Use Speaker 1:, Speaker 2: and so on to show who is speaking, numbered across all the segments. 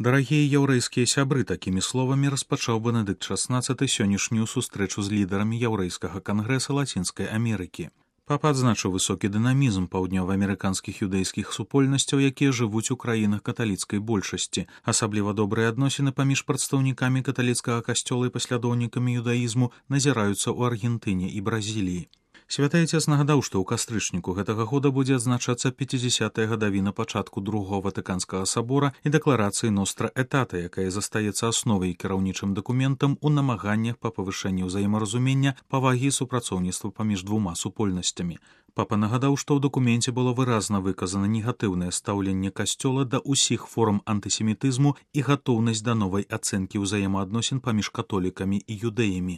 Speaker 1: Дарагія яўрэйскія сябры, такімі словамі распачаў Бенедыкт XVI сённяшнюю сустрэчу з лідарамі яўрэйскага кангрэса Лацінскай Амерыкі. Папа адзначыў высокі дынамізм паўднёва-амерыканскіх юдэйскіх супольнасцяў, якія жывуць у краінах каталіцкай большасці. Асабліва добрыя адносіны паміж прадстаўнікамі каталіцкага касцёла і паслядоўнікамі юдаізму назіраюцца ў Аргентыне і Бразіліі. Святы Ацец нагадаў, што ў кастрычніку гэтага года будзе адзначацца 50-я гадавіна пачатку Другого Ватыканскага сабора і дэкларацыі Ностра Этата, якая застаецца асновай і кіраўнічым дакументам у намаганнях па павышэнні ўзаемаразумення, павагі і супрацоўніцтва паміж двума супольнасцямі. Папа нагадаў, што ў дакуменце было выразна выказана негатыўнае стаўленне касцёла да ўсіх форм антысемітызму і гатоўнасць да новай ацэнкі ўзаемаадносін паміж католікамі і юдэямі.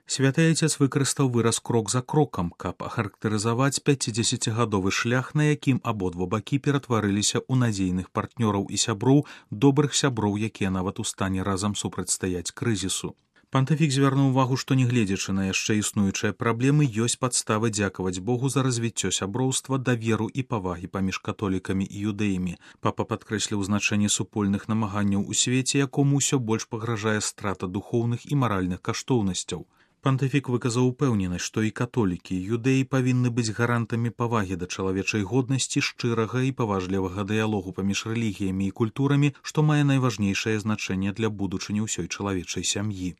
Speaker 1: Святы Ацец выкарыстаў выраз крок за крокам, каб ахарактарызаваць 50-гадовы шлях, на якім абодва бакі ператварыліся ў надзейных партнёраў і сяброў, добрых сяброў, якія нават у стане разам супрацьстаяць крызісу. Пантыфік звярнуў увагу, што нягледзячы на яшчэ існуючыя праблемы, ёсць падставы дзякаваць Богу за развіццё сяброўства, даверу і павагі паміж католікамі і юдэямі. Папа падкрэсліў значэнне супольных намаганняў у свеце, якому ўсё больш пагражае страта духоўных і маральных каштоўнасцяў. Пантыфік выказаў упэўненасць, што і католікі, і юдэі павінны быць гарантамі павагі да чалавечай годнасці, шчырага і паважлівага дыялогу паміж рэлігіямі і культурамі, што мае найважнейшае значэнне для будучыні ўсёй чалавечай сям'і.